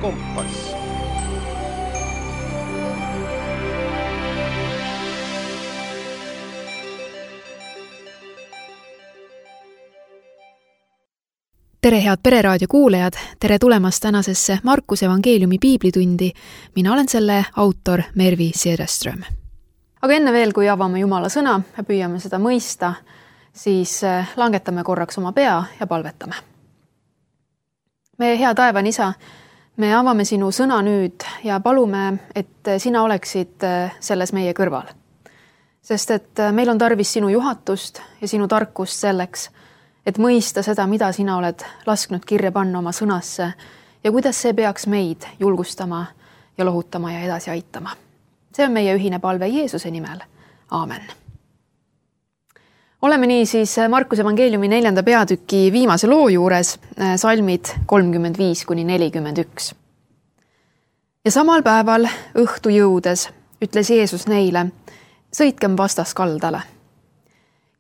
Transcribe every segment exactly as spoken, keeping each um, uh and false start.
kompass. Tere head Pereraadio kuulajad, tere tulemast tänasesse Markuse evangeeliumi piiblitundi. Mina olen selle autor Mervi Sederström. Aga enne veel, kui avame Jumala sõna ja püüame seda mõista, siis langetame korraks oma pea ja palvetame. Meie hea taevan isa, me avame sinu sõna nüüd ja palume, et sina oleksid selles meie kõrval. Sest et meil on tarvis sinu juhatust ja sinu tarkust selleks, et mõista seda, mida sina oled lasknud kirja panna oma sõnasse ja kuidas see peaks meid julgustama ja lohutama ja edasi aitama. See on meie ühine palve Jeesuse nimel. Aamen. Oleme nii siis Markuse evangeeliumi neljanda peatüki viimase loo juures, salmid kolmkümmend viis kuni nelikümmend üks. Ja samal päeval õhtu jõudes ütles Jeesus neile, sõitkem vastas kaldale.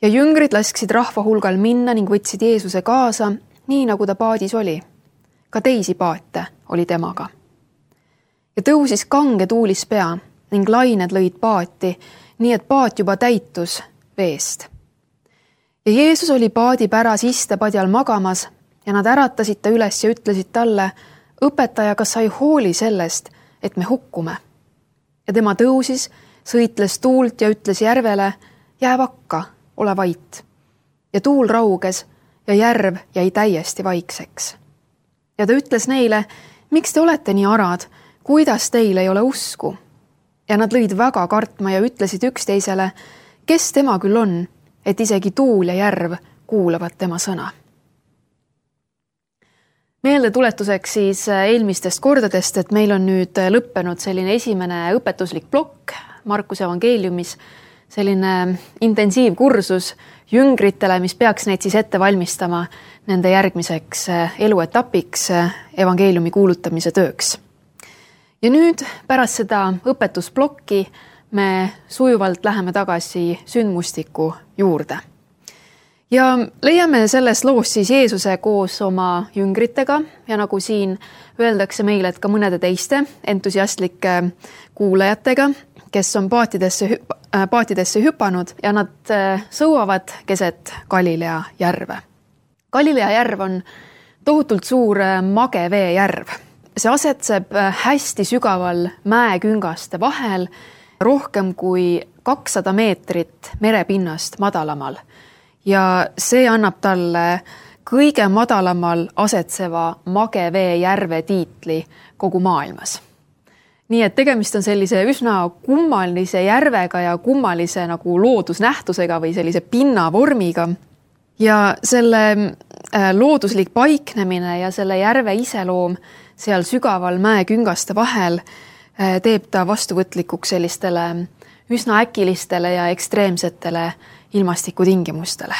Ja jüngrid lasksid rahva hulgal minna ning võtsid Jeesuse kaasa, nii nagu ta paadis oli. Ka teisi paate oli temaga. Ja tõusis kange tuulis pea ning lained lõid paati, nii et paat juba täitus veest. Ja Jeesus oli paadi päras istepadjal magamas ja nad äratasid ta üles ja ütlesid talle, õpetaja, kas sa ei hooli sellest, et me hukkume? Ja tema tõusis, sõitles tuult ja ütles järvele, jää vakka, ole vait. Ja tuul rauges ja järv jäi täiesti vaikseks. Ja ta ütles neile, miks te olete nii arad, kuidas teil ei ole usku? Ja nad lõid väga kartma ja ütlesid üksteisele, kes tema küll on, et isegi tuul ja järv kuulavad tema sõna. Meelde tuletuseks siis eelmistest kordadest, et meil on nüüd lõppenud selline esimene õpetuslik plokk Markuse evangeeliumis, selline intensiivkursus jüngritele, mis peaks neid siis ette valmistama nende järgmiseks eluetapiks evangeeliumi kuulutamise tööks. Ja nüüd pärast seda õpetusplokki me sujuvalt läheme tagasi sündmustiku juurde. Ja leiame selles loos siis Jeesuse koos oma jüngritega ja nagu siin öeldakse meile, et ka mõnede teiste entusiastlike kuulajatega, kes on paatidesse, paatidesse hüpanud ja nad sõuavad keset Galilea järve. Galilea järv on tohutult suur magevee järv. See asetseb hästi sügaval mäeküngaste vahel, rohkem kui kakssada meetrit merepinnast madalamal. Ja see annab talle kõige madalamal asetseva magevee järve tiitli kogu maailmas. Nii et tegemist on sellise üsna kummalise järvega ja kummalise nagu loodusnähtusega või sellise pinnavormiga. Ja selle looduslik paiknemine ja selle järve iseloom seal sügaval mäeküngaste vahel teeb ta vastuvõtlikuks sellistele üsna äkilistele ja ekstreemsetele ilmastikutingimustele.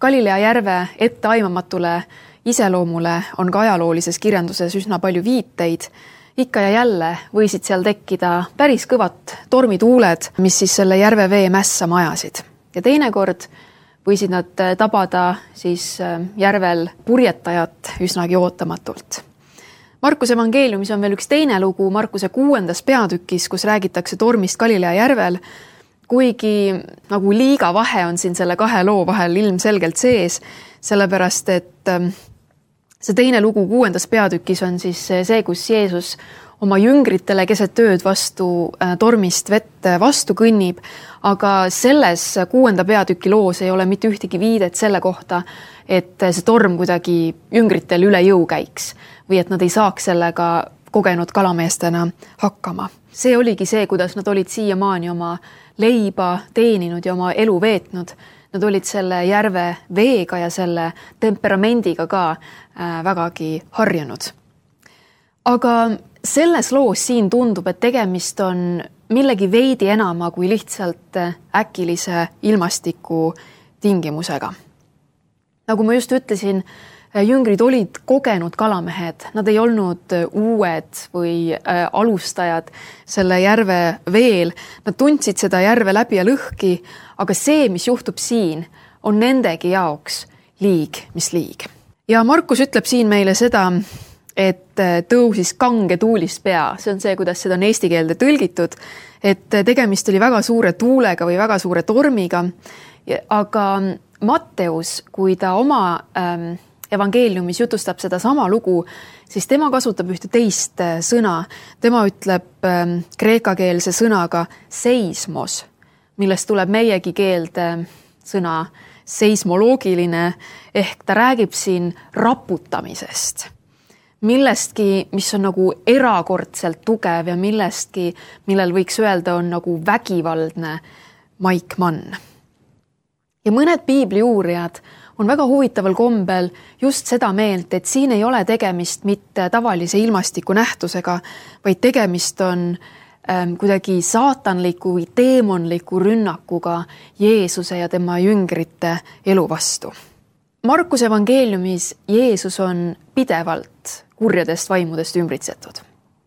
Galilea järve etteaimamatule iseloomule on ka ajaloolises kirjanduses üsna palju viiteid. Ikka ja jälle võisid seal tekkida päris kõvat tormituuled, mis siis selle järve vee mässa majasid. Ja teinekord võisid nad tabada siis järvel purjetajat üsnagi ootamatult. Markuse evangeeliumis on veel üks teine lugu Markuse kuuendas peatükis, kus räägitakse tormist Galilea järvel, kuigi nagu liiga vahe on siin selle kahe loo vahel ilmselgelt sees, sellepärast et see teine lugu kuuendas peatükis on siis see, kus Jeesus oma jüngritele keset ööd vastu tormist vett vastu kõnnib, aga selles kuuenda peatüki loos ei ole mitte ühtegi viidet selle kohta, et see torm kuidagi jüngritel üle jõu käiks või et nad ei saaks sellega kogenud kalameestena hakkama. See oligi see, kuidas nad olid siiamaani oma leiba teeninud ja oma elu veetnud. Nad olid selle järve veega ja selle temperamendiga ka vägagi harjunud. Aga selles loos siin tundub, et tegemist on millegi veidi enama kui lihtsalt äkilise ilmastiku tingimusega. Nagu ma just ütlesin, jüngrid olid kogenud kalamehed, nad ei olnud uued või alustajad selle järve veel. Nad tundsid seda järve läbi ja lõhki, aga see, mis juhtub siin, on nendegi jaoks liig, mis liig. Ja Markus ütleb siin meile seda, et tõusis kange tuulist pea. See on see, kuidas seda on eesti keelde tõlgitud, et tegemist oli väga suure tuulega või väga suure tormiga. Aga Matteus, kui ta oma ähm, evangeeliumis jutustab seda sama lugu, siis tema kasutab ühte teist sõna. Tema ütleb ähm, kreekakeelse sõnaga seismos, millest tuleb meiegi keelde sõna seismoloogiline, ehk ta räägib siin raputamisest. Millestki, mis on nagu erakordselt tugev ja millestki, millel võiks öelda on nagu vägivaldne maikmann. Ja mõned piibli uurijad on väga huvitaval kombel just seda meelt, et siin ei ole tegemist mitte tavalise ilmastiku nähtusega, vaid tegemist on ähm, kuidagi saatanliku või teemonliku rünnakuga Jeesuse ja tema jüngrite elu vastu. Markuse evangeeliumis Jeesus on pidevalt kurjadest vaimudest ümbritsetud.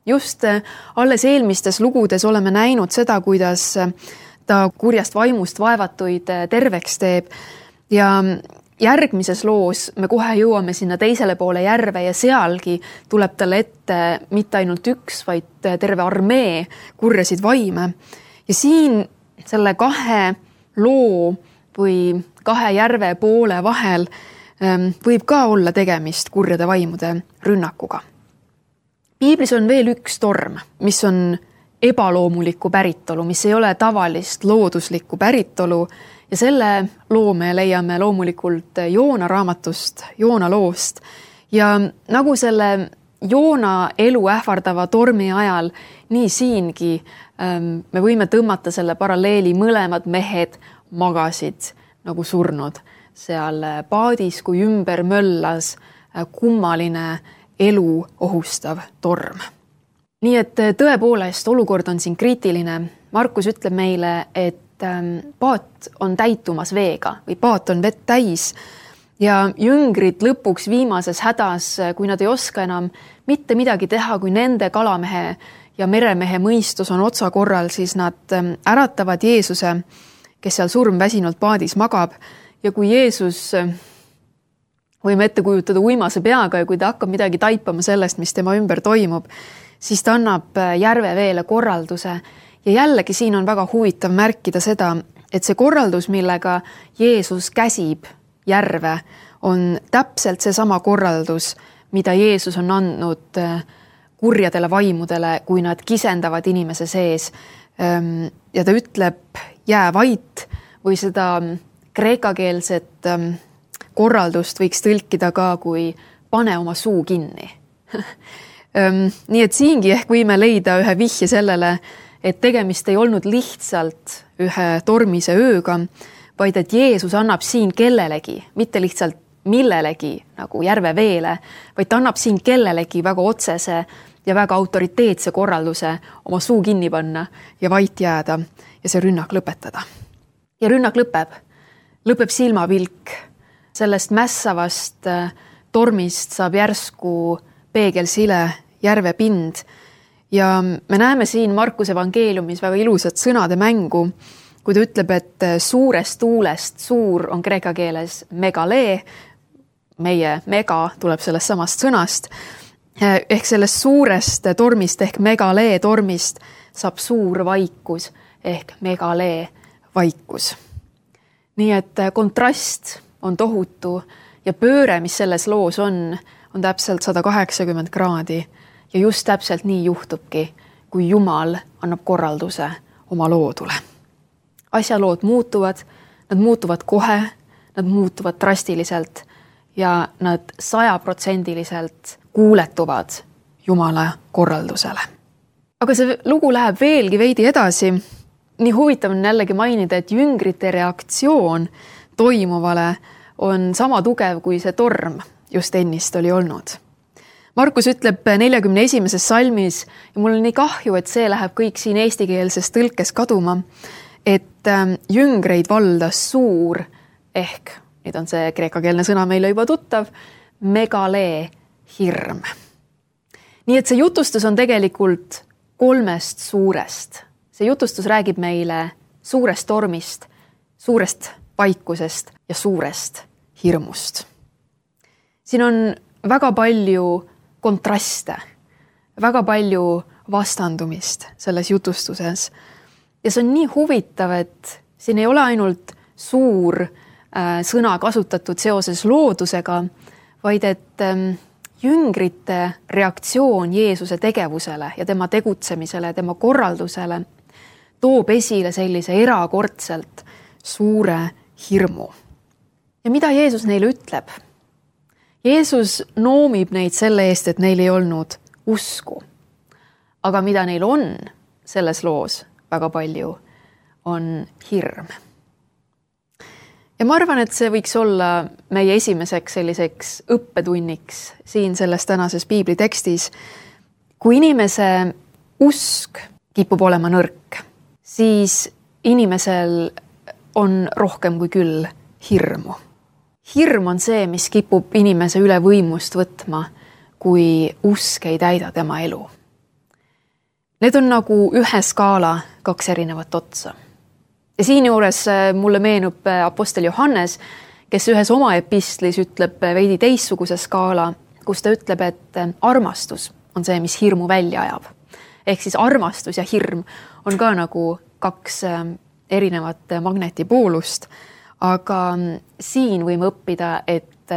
Just alles eelmistes lugudes oleme näinud seda, kuidas ta kurjast vaimust vaevatuid terveks teeb ja järgmises loos me kohe jõuame sinna teisele poole järve ja sealgi tuleb talle ette mitte ainult üks, vaid terve armee kurjasid vaime. Ja siin selle kahe loo või kahe järve poole vahel võib ka olla tegemist kurjade vaimude rünnakuga. Piiblis on veel üks torm, mis on ebaloomulikku päritolu, mis ei ole tavalist looduslikku päritolu ja selle loo me leiame loomulikult Joona raamatust, Joona loost. Ja nagu selle Joona elu ähvardava tormi ajal, nii siingi me võime tõmmata selle paralleeli, mõlemad mehed magasid nagu surnud seal paadis, kui ümber möllas kummaline elu ohustav torm. Nii et tõepoolest olukord on siin kriitiline. Markus ütleb meile, et paat on täitumas veega või paat on vett täis ja jüngrid lõpuks viimases hädas, kui nad ei oska enam mitte midagi teha, kui nende kalamehe ja meremehe mõistus on otsa korral, siis nad äratavad Jeesuse, kes seal surmväsinult paadis magab. Ja kui Jeesus, võime ette kujutada uimase peaga ja kui ta hakkab midagi taipama sellest, mis tema ümber toimub, siis ta annab järve veele korralduse. Ja jällegi siin on väga huvitav märkida seda, et see korraldus, millega Jeesus käsib järve, on täpselt see sama korraldus, mida Jeesus on andnud kurjadele vaimudele, kui nad kisendavad inimese sees. Ja ta ütleb, jää vait või seda kreekakeelset korraldust võiks tõlkida ka, kui pane oma suu kinni. Nii et siingi ehk võime leida ühe vihje sellele, et tegemist ei olnud lihtsalt ühe tormise ööga, vaid et Jeesus annab siin kellelegi, mitte lihtsalt millelegi nagu järve veele, vaid ta annab siin kellelegi väga otsese ja väga autoriteetse korralduse oma suu kinni panna ja vait jääda ja see rünnak lõpetada. Ja rünnak lõpeb. Lõpeb silmapilk. Sellest mässavast tormist saab järsku peegelsile järve pind. Ja me näeme siin Markuse evangeeliumis väga ilusat sõnade mängu, kui ta ütleb, et suurest tuulest, suur on kreeka keeles megalee, meie mega tuleb sellest samast sõnast, ehk sellest suurest tormist ehk megalee tormist saab suur vaikus ehk megalee vaikus. Nii et kontrast on tohutu ja pööre, mis selles loos on, on täpselt sada kaheksakümmend kraadi ja just täpselt nii juhtubki, kui Jumal annab korralduse oma loodule. Asjalood muutuvad, nad muutuvad kohe, nad muutuvad drastiliselt ja nad sajaprotsendiliselt kuuletuvad Jumala korraldusele. Aga see lugu läheb veelgi veidi edasi. Nii huvitav on jällegi mainida, et jüngrite reaktsioon toimuvale on sama tugev kui see torm just ennist oli olnud. Markus ütleb neljakümne esimeses salmis ja mul on nii kahju, et see läheb kõik siin eestikeelses tõlkes kaduma, et jüngreid valdas suur ehk, nüüd on see kreekakeelne sõna meile juba tuttav, megalee hirm. Nii et see jutustus on tegelikult kolmest suurest. See jutustus räägib meile suurest tormist, suurest vaikusest ja suurest hirmust. Siin on väga palju kontraste, väga palju vastandumist selles jutustuses. Ja see on nii huvitav, et siin ei ole ainult suur äh, sõna kasutatud seoses loodusega, vaid et ähm, jüngrite reaktsioon Jeesuse tegevusele ja tema tegutsemisele, tema korraldusele toob esile sellise erakordselt suure hirmu. Ja mida Jeesus neile ütleb? Jeesus noomib neid selle eest, et neil ei olnud usku. Aga mida neil on selles loos väga palju, on hirm. Ja ma arvan, et see võiks olla meie esimeseks selliseks õppetunniks siin selles tänases piibli tekstis. Kui inimese usk kipub olema nõrk, siis inimesel on rohkem kui küll hirmu. Hirm on see, mis kipub inimese üle võimust võtma, kui usk ei täida tema elu. Need on nagu ühe skaala kaks erinevat otsa. Ja siin juures mulle meenub apostel Johannes, kes ühes oma epistlis ütleb veidi teistsuguse skaala, kus ta ütleb, et armastus on see, mis hirmu välja ajab. Ehk siis armastus ja hirm on ka nagu kaks erinevat magnetipoolust, aga siin võime õppida, et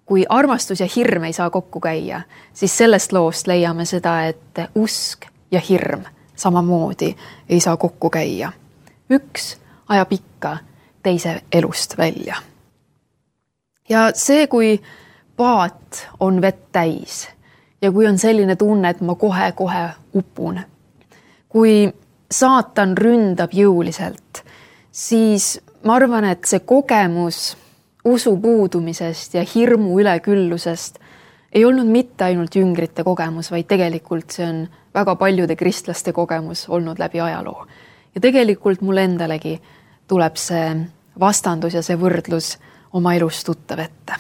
kui armastus ja hirm ei saa kokku käia, siis sellest loost leiame seda, et usk ja hirm samamoodi ei saa kokku käia. Üks ajab ikka teise elust välja. Ja see, kui paat on vett täis ja kui on selline tunne, et ma kohe-kohe upun, kui saatan ründab jõuliselt, siis ma arvan, et see kogemus usu puudumisest ja hirmu üleküllusest ei olnud mitte ainult jüngrite kogemus, vaid tegelikult see on väga paljude kristlaste kogemus olnud läbi ajaloo. Ja tegelikult mul endalegi tuleb see vastandus ja see võrdlus oma elus tuttav ette.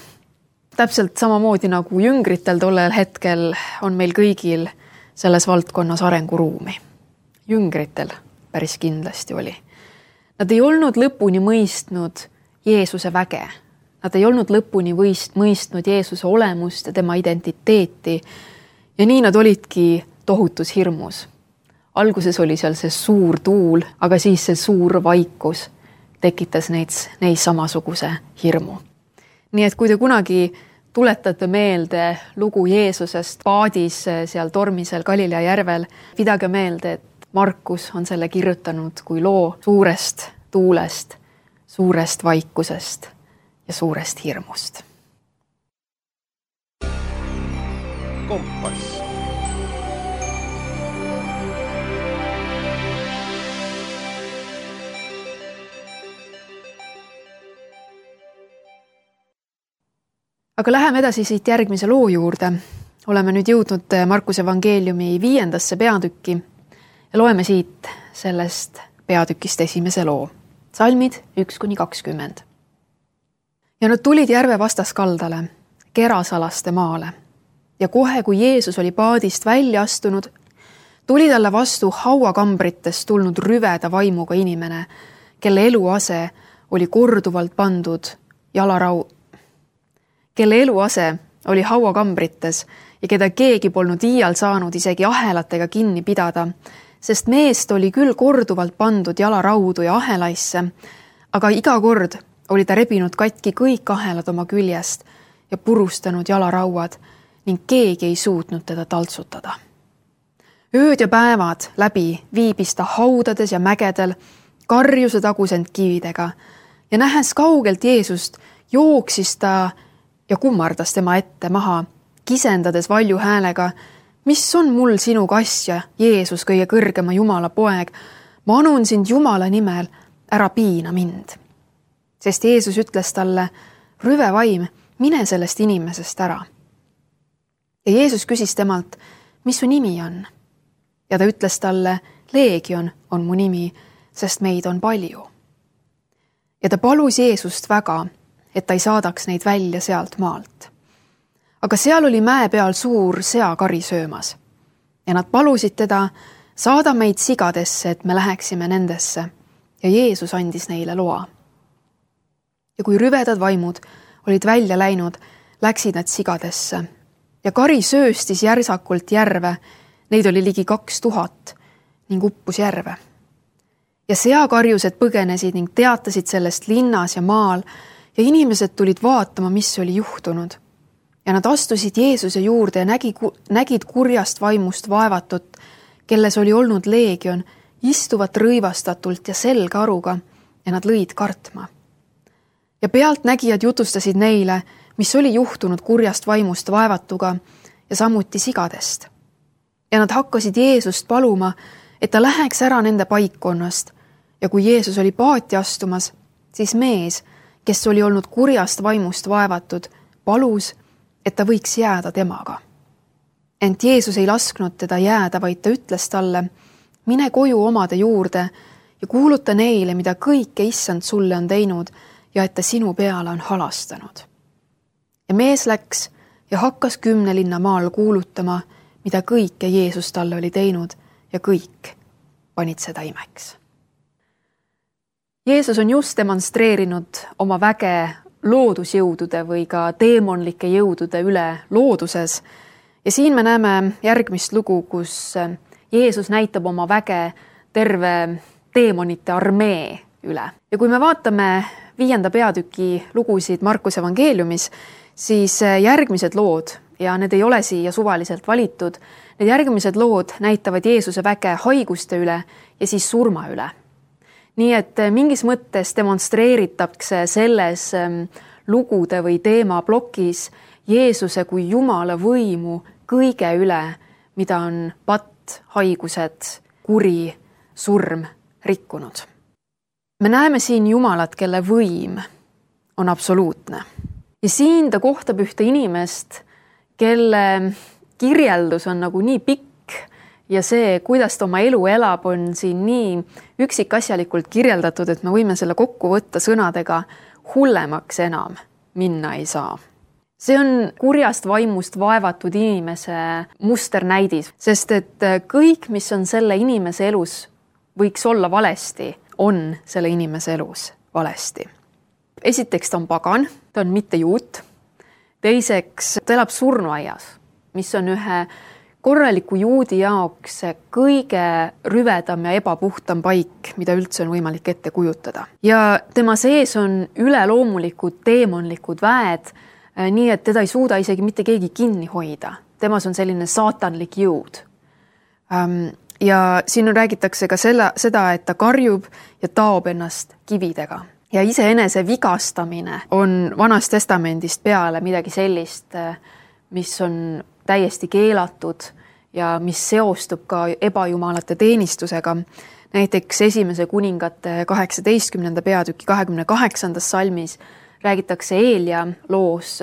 Täpselt samamoodi nagu jüngritel tollel hetkel on meil kõigil selles valdkonnas arenguruumi. Jüngritel päris kindlasti oli. Nad ei olnud lõpuni mõistnud Jeesuse väge. Nad ei olnud lõpuni võist, mõistnud Jeesuse olemust ja tema identiteeti. Ja nii nad olidki tohutus hirmus. Alguses oli seal see suur tuul, aga siis see suur vaikus tekitas neid, neid samasuguse hirmu. Nii et kui te kunagi tuletate meelde lugu Jeesusest paadis seal tormisel Galilea järvel, pidage meelde, et Markus on selle kirjutanud kui loo suurest tuulest, suurest vaikusest ja suurest hirmust. Kompass. Aga läheme edasi siit järgmise loo juurde. Oleme nüüd jõudnud Markuse evangeeliumi viiendasse peatükki ja loeme siit sellest peatükist esimese loo. Salmid üks kuni kakskümmend. Ja nad tulid järve vastaskaldale, Gerasalaste maale. Ja kohe, kui Jeesus oli paadist välja astunud, tuli talle vastu hauakambritest tulnud rüveda vaimuga inimene, kelle eluase oli korduvalt pandud jalarau... kelle eluase oli hauakambrites ja keda keegi polnud iial saanud isegi ahelatega kinni pidada, sest meest oli küll korduvalt pandud jalaraudu ja ahelaisse, aga iga kord oli ta rebinud katki kõik ahelad oma küljest ja purustanud jalarauad ning keegi ei suutnud teda taltsutada. Ööd ja päevad läbi viibis ta haudades ja mägedel, karjuse tagusend kividega ja nähes kaugelt Jeesust, jooksis ta ja kummardas tema ette maha, kisendades valju häälega, mis on mul sinuga asja, Jeesus, kõige kõrgema Jumala poeg, ma anun sind Jumala nimel, ära piina mind. Sest Jeesus ütles talle, rüve vaim, mine sellest inimesest ära. Ja Jeesus küsis temalt, mis su nimi on? Ja ta ütles talle, Leegion on mu nimi, sest meid on palju. Ja ta palus Jeesust väga, et ta ei saadaks neid välja sealt maalt. Aga seal oli mäe peal suur seakari söömas ja nad palusid teda, saada meid sigadesse, et me läheksime nendesse ja Jeesus andis neile loa. Ja kui rüvedad vaimud olid välja läinud, läksid nad sigadesse ja kari sööstis järsakult järve, neid oli ligi kaks tuhat ning uppus järve. Ja seakarjused põgenesid ning teatasid sellest linnas ja maal ja inimesed tulid vaatama, mis oli juhtunud. Ja nad astusid Jeesuse juurde ja nägi, nägid kurjast vaimust vaevatut, kelles oli olnud leegion, istuvat rõivastatult ja selgaruga ja nad lõid kartma. Ja pealtnägijad jutustasid neile, mis oli juhtunud kurjast vaimust vaevatuga ja samuti sigadest. Ja nad hakkasid Jeesust paluma, et ta läheks ära nende paikkonnast ja kui Jeesus oli paati astumas, siis mees, kes oli olnud kurjast vaimust vaevatud, palus, et ta võiks jääda temaga. Ent Jeesus ei lasknud teda jääda, vaid ta ütles talle, mine koju omade juurde ja kuuluta neile, mida kõike issand sulle on teinud ja et ta sinu peale on halastanud. Ja mees läks ja hakkas kümne linna maal kuulutama, mida kõike Jeesus talle oli teinud ja kõik panid seda imeks. Jeesus on just demonstreerinud oma väge loodusjõudude või ka teemonlike jõudude üle looduses ja siin me näeme järgmist lugu, kus Jeesus näitab oma väge terve teemonite armee üle. Ja kui me vaatame viienda peatüki lugusid Markuse evangeeliumis, siis järgmised lood, ja need ei ole siia suvaliselt valitud, need järgmised lood näitavad Jeesuse väge haiguste üle ja siis surma üle. Nii et mingis mõttes demonstreeritakse selles lugude või teemaplokis Jeesuse kui Jumala võimu kõige üle, mida on patt, haigused, kuri, surm rikkunud. Me näeme siin Jumalat, kelle võim on absoluutne. Ja siin ta kohtab ühte inimest, kelle kirjeldus on nagu nii pikk ja see, kuidas ta oma elu elab, on siin nii üksikasjalikult kirjeldatud, et me võime selle kokku võtta sõnadega hullemaks enam minna ei saa. See on kurjast vaimust vaevatud inimese musternäidis, sest et kõik, mis on selle inimese elus, võiks olla valesti, on selle inimese elus valesti. Esiteks ta on pagan, ta on mitte juut. Teiseks ta elab surnuaias, mis on ühe korraliku juudi jaoks kõige rüvedam ja ebapuhtam paik, mida üldse on võimalik ette kujutada. Ja tema sees on üleloomulikud teemonlikud väed, nii et teda ei suuda isegi mitte keegi kinni hoida. Temas on selline saatanlik jõud. Ja siin räägitakse ka selle, seda, et ta karjub ja taob ennast kividega. Ja iseenese vigastamine on Vanast Testamendist peale midagi sellist, mis on täiesti keelatud ja mis seostub ka ebajumalate teenistusega. Näiteks esimese kuningate kaheksateistkümnenda peatüki kahekümne kaheksandas salmis räägitakse Eelia loos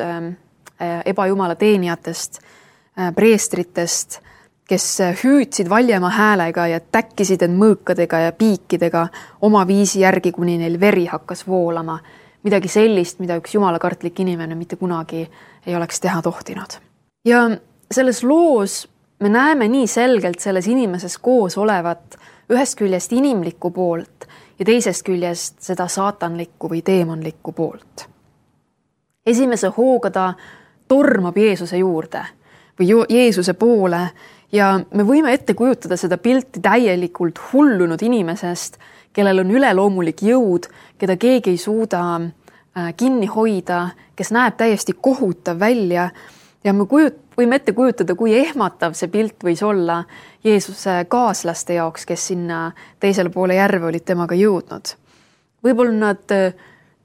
ebajumala teenijatest, preestritest, kes hüüdsid valjema häälega ja täkkisid end mõõkadega ja piikidega oma viisi järgi, kuni neil veri hakkas voolama. Midagi sellist, mida üks jumalakartlik inimene mitte kunagi ei oleks teha tohtinud. Ja selles loos me näeme nii selgelt selles inimeses koos olevat ühest küljest inimlikku poolt ja teisest küljest seda saatanlikku või teemonlikku poolt. Esimese hooga ta tormab Jeesuse juurde või Jeesuse poole ja me võime ette kujutada seda pilti täielikult hullunud inimesest, kellel on üleloomulik jõud, keda keegi ei suuda kinni hoida, kes näeb täiesti kohutav välja ja me kujut, võime ette kujutada, kui ehmatav see pilt võis olla Jeesuse kaaslaste jaoks, kes sinna teisele poole järve olid temaga jõudnud. Võib-olla nad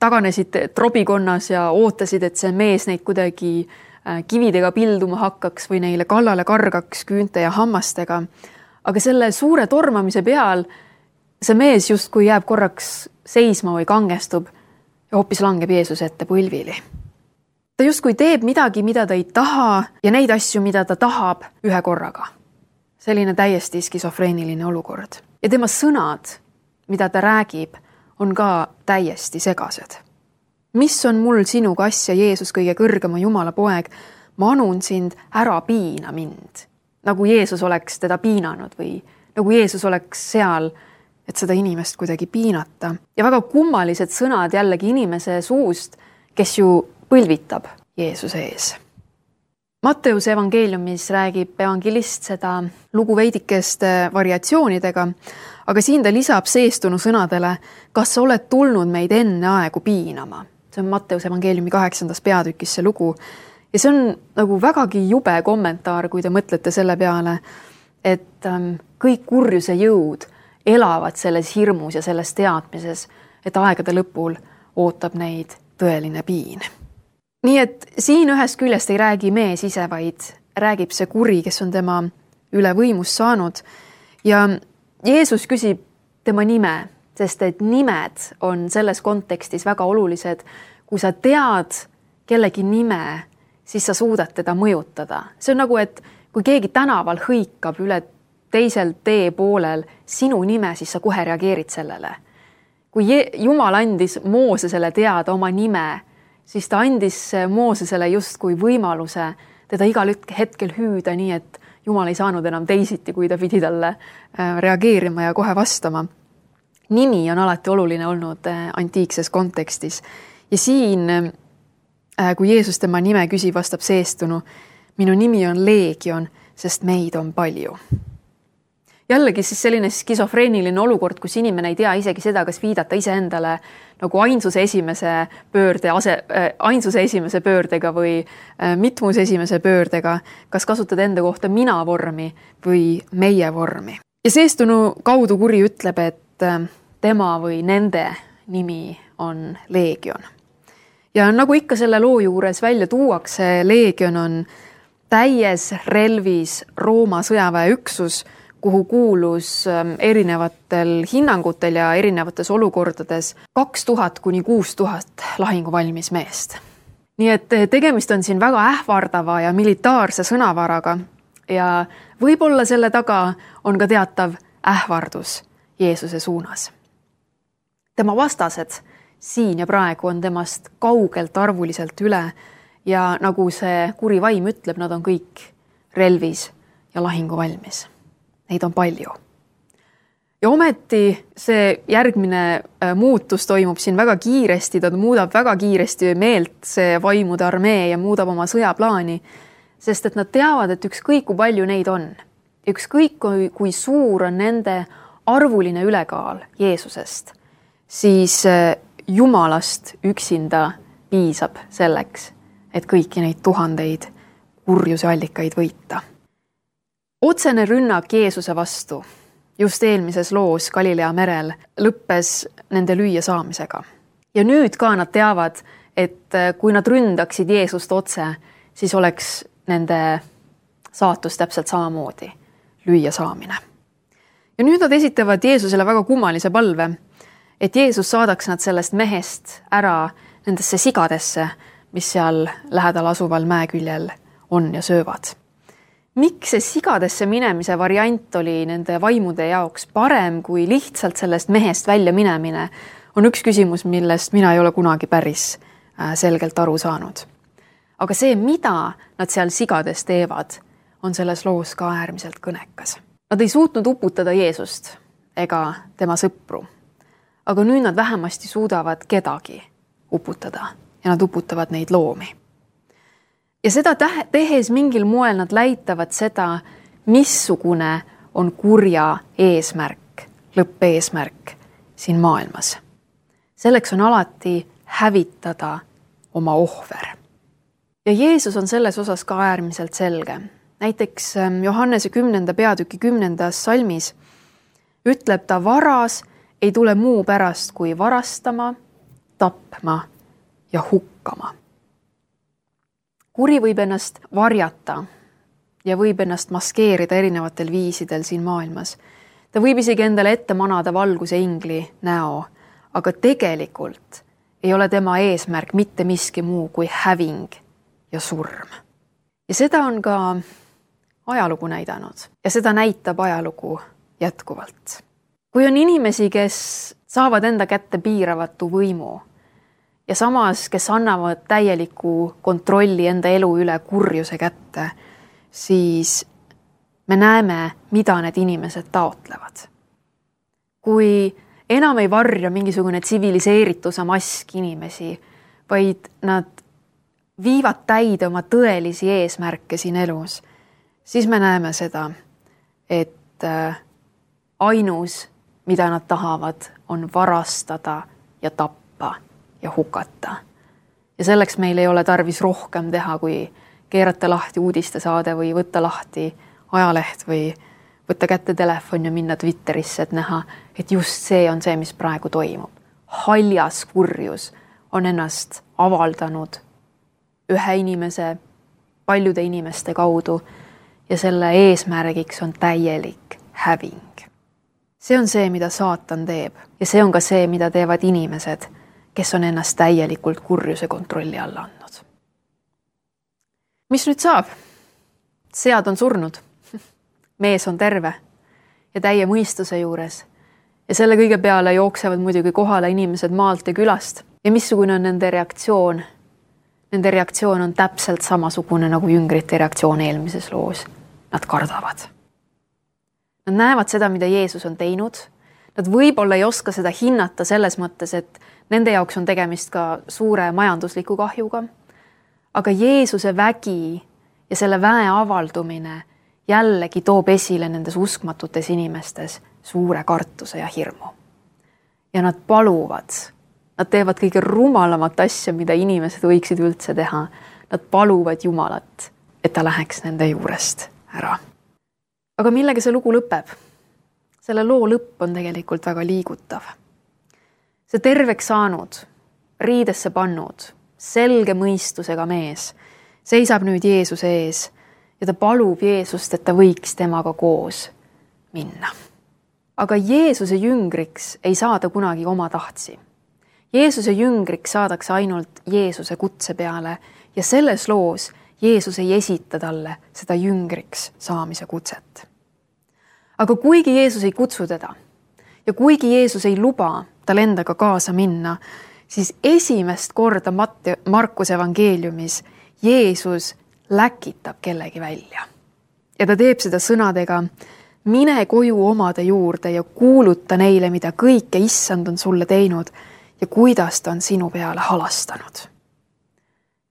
taganesid trobikonnas ja ootasid, et see mees neid kuidagi kividega pilduma hakkaks või neile kallale kargaks küünte ja hammastega. Aga selle suure tormamise peal see mees justkui jääb korraks seisma või kangestub ja hoopis langeb Jeesuse ette põlvili. Ta justkui teeb midagi, mida ta ei taha ja neid asju, mida ta tahab ühe korraga. Selline täiesti skisofreeniline olukord. Ja tema sõnad, mida ta räägib, on ka täiesti segased. Mis on mul sinuga asja, Jeesus, kõige kõrgema Jumala poeg? Ma anun sind, ära piina mind. Nagu Jeesus oleks teda piinanud või nagu Jeesus oleks seal, et seda inimest kuidagi piinata. Ja väga kummalised sõnad jällegi inimese suust, kes ju põlvitab Jeesuse ees. Matteuse evangeeliumis räägib evangelist seda lugu veidikeste variatsioonidega, aga siin ta lisab seestunu sõnadele, kas sa oled tulnud meid enne aegu piinama. See on Matteuse evangeeliumi kaheksandas peatükis see lugu. Ja see on nagu vägagi jube kommentaar, kui te mõtlete selle peale, et ähm, kõik kurjuse jõud elavad selles hirmus ja selles teadmises, et aegade lõpul ootab neid tõeline piin. Nii et siin ühest küljest ei räägi mees ise, vaid räägib see kuri, kes on tema üle võimust saanud. Ja Jeesus küsib tema nime, sest et nimed on selles kontekstis väga olulised. Kui sa tead kellegi nime, siis sa suudad teda mõjutada. See on nagu, et kui keegi tänaval hõikab üle teisel tee poolel sinu nime, siis sa kohe reageerid sellele. Kui Jumal andis Moosesele teada oma nime, siis ta andis Moosesele justkui võimaluse teda igal hetkel hüüda nii, et Jumal ei saanud enam teisiti, kui ta pidi talle reageerima ja kohe vastama. Nimi on alati oluline olnud antiikses kontekstis. Ja siin, kui Jeesus tema nime küsib, vastab seestunu, minu nimi on Leegion, sest meid on palju. Jällegi siis selline skisofreeniline olukord, kus inimene ei tea isegi seda, kas viidata iseendale nagu ainsuse esimese pöörde, ase, äh, ainsuse esimese pöördega või äh, mitmuse esimese pöördega, kas kasutada enda kohta mina vormi või meie vormi. Ja seestunu kaudu kuri ütleb, et äh, tema või nende nimi on Leegion. Ja nagu ikka selle loo juures välja tuuakse, Leegion on täies relvis Rooma sõjaväeüksus, kuhu kuulus erinevatel hinnangutel ja erinevates olukordades kaks tuhat kuni kuus tuhat lahinguvalmis meest. Nii et tegemist on siin väga ähvardava ja militaarse sõnavaraga ja võib-olla selle taga on ka teatav ähvardus Jeesuse suunas. Tema vastased siin ja praegu on temast kaugelt arvuliselt üle ja nagu see kuri vaim ütleb, nad on kõik relvis ja lahinguvalmis. Neid on palju. Ja ometi see järgmine muutus toimub siin väga kiiresti, ta muudab väga kiiresti meelt see vaimude armee ja muudab oma sõjaplaani, sest et nad teavad, et ükskõik kui palju neid on, ükskõik kui, kui suur on nende arvuline ülekaal Jeesusest, siis Jumalast üksinda piisab selleks, et kõiki neid tuhandeid kurjuse allikaid võita. Otsene rünnak Jeesuse vastu just eelmises loos Galilea merel lõppes nende lüüa saamisega. Ja nüüd ka nad teavad, et kui nad ründaksid Jeesust otse, siis oleks nende saatus täpselt samamoodi lüüa saamine. Ja nüüd nad esitavad Jeesusele väga kummalise palve, et Jeesus saadaks nad sellest mehest ära nendesse sigadesse, mis seal lähedal asuval mäeküljel on ja söövad. Miks see sigadesse minemise variant oli nende vaimude jaoks parem kui lihtsalt sellest mehest välja minemine, on üks küsimus, millest mina ei ole kunagi päris selgelt aru saanud. Aga see, mida nad seal sigades teevad, on selles loos ka äärmiselt kõnekas. Nad ei suutnud uputada Jeesust ega tema sõpru, aga nüüd nad vähemasti suudavad kedagi uputada ja nad uputavad neid loomi. Ja seda tehes mingil moel nad läitavad seda, missugune on kurja eesmärk, lõppeesmärk siin maailmas. Selleks on alati hävitada oma ohver. Ja Jeesus on selles osas ka äärmiselt selge. Näiteks Johannese kümnenda peatüki kümnendas salmis ütleb ta, varas ei tule muu pärast kui varastama, tapma ja hukkama. Kuri võib ennast varjata ja võib ennast maskeerida erinevatel viisidel siin maailmas. Ta võib isegi endale ette manada valguse ingli näo, aga tegelikult ei ole tema eesmärk mitte miski muu kui häving ja surm. Ja seda on ka ajalugu näidanud ja seda näitab ajalugu jätkuvalt. Kui on inimesi, kes saavad enda kätte piiravatu võimu, ja samas, kes annavad täieliku kontrolli enda elu üle kurjuse kätte, siis me näeme, mida need inimesed taotlevad. Kui enam ei varja mingisugune tsiviliseerituse mask inimesi, vaid nad viivad täide oma tõelisi eesmärke siin elus, siis me näeme seda, et ainus, mida nad tahavad, on varastada ja tappa ja hukata. Ja selleks meil ei ole tarvis rohkem teha, kui keerata lahti uudistesaade või võtta lahti ajaleht või võtta kätte telefon ja minna Twitterisse, et näha, et just see on see, mis praegu toimub. Haljas kurjus on ennast avaldanud ühe inimese, paljude inimeste kaudu ja selle eesmärgiks on täielik häving. See on see, mida saatan teeb ja see on ka see, mida teevad inimesed, kes on ennast täielikult kurjuse kontrolli alla andnud. Mis nüüd saab? Sead on surnud, mees on terve ja täie mõistuse juures ja selle kõige peale jooksevad muidugi kohale inimesed maalt ja külast ja missugune on nende reaktsioon? Nende reaktsioon on täpselt samasugune nagu jüngrite reaktsioon eelmises loos. Nad kardavad. Nad näevad seda, mida Jeesus on teinud. Nad võib-olla ei oska seda hinnata selles mõttes, et nende jaoks on tegemist ka suure majandusliku kahjuga. Aga Jeesuse vägi ja selle väe avaldumine jällegi toob esile nendes uskmatutes inimestes suure kartuse ja hirmu. Ja nad paluvad, nad teevad kõige rumalamat asja, mida inimesed võiksid üldse teha. Nad paluvad Jumalat, et ta läheks nende juurest ära. Aga millega see lugu lõpeb? Selle loo lõpp on tegelikult väga liigutav. See terveks saanud, riidesse pannud, selge mõistusega mees seisab nüüd Jeesuse ees ja ta palub Jeesust, et ta võiks temaga koos minna. Aga Jeesuse jüngriks ei saada kunagi oma tahtsi. Jeesuse jüngriks saadakse ainult Jeesuse kutse peale ja selles loos Jeesus ei esita talle seda jüngriks saamise kutset. Aga kuigi Jeesus ei kutsu teda ja kuigi Jeesus ei luba tal endaga kaasa minna, siis esimest korda Markuse evangeeliumis Jeesus läkitab kellegi välja. Ja ta teeb seda sõnadega, mine koju omade juurde ja kuuluta neile, mida kõike issand on sulle teinud ja kuidas ta on sinu peale halastanud.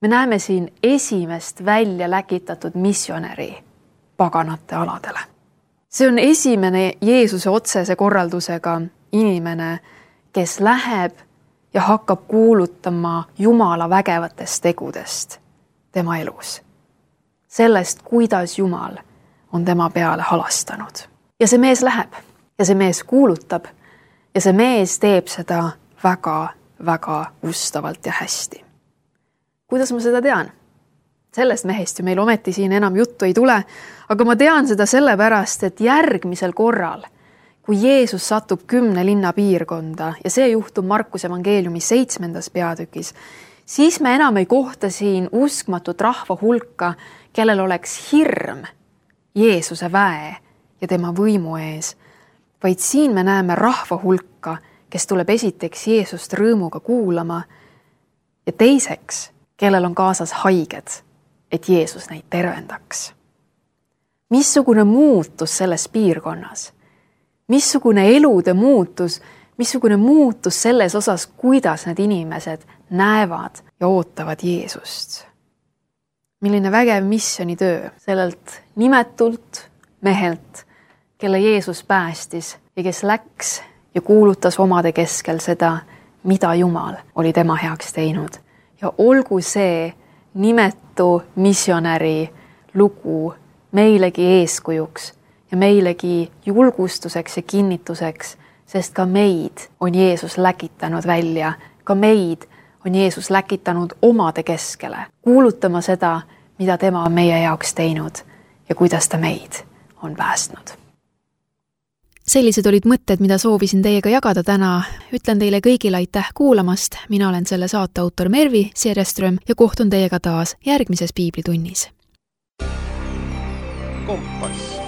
Me näeme siin esimest välja läkitatud missionäri paganate aladele. See on esimene Jeesuse otsese korraldusega inimene, kes läheb ja hakkab kuulutama Jumala vägevatest tegudest tema elus. Sellest, kuidas Jumal on tema peale halastanud. Ja see mees läheb ja see mees kuulutab ja see mees teeb seda väga, väga ustavalt ja hästi. Kuidas ma seda tean? Sellest mehest ju meil ometi siin enam juttu ei tule, aga ma tean seda sellepärast, et järgmisel korral, kui Jeesus satub kümne linna piirkonda ja see juhtub Markuse evangeeliumi seitsmendas peatükis, siis me enam ei kohta siin uskmatut rahva hulka, kellel oleks hirm Jeesuse väe ja tema võimu ees, vaid siin me näeme rahva hulka, kes tuleb esiteks Jeesust rõõmuga kuulama ja teiseks, kellel on kaasas haiged, et Jeesus neid tervendaks. Missugune muutus selles piirkonnas? Missugune elude muutus? Missugune muutus selles osas, kuidas need inimesed näevad ja ootavad Jeesust? Milline vägev missionitöö sellelt nimetult mehelt, kelle Jeesus päästis ja kes läks ja kuulutas omade keskel seda, mida Jumal oli tema heaks teinud. Ja olgu see nimetu missionäri lugu meilegi eeskujuks ja meilegi julgustuseks ja kinnituseks, sest ka meid on Jeesus läkitanud välja, ka meid on Jeesus läkitanud omade keskele, kuulutama seda, mida tema on meie jaoks teinud ja kuidas ta meid on päästnud. Sellised olid mõtted, mida soovisin teiega jagada täna. Ütlen teile kõigile aitäh kuulamast. Mina olen selle saate autor Mervi Siereström ja kohtun teiega taas järgmises piiblitunnis. Kompass.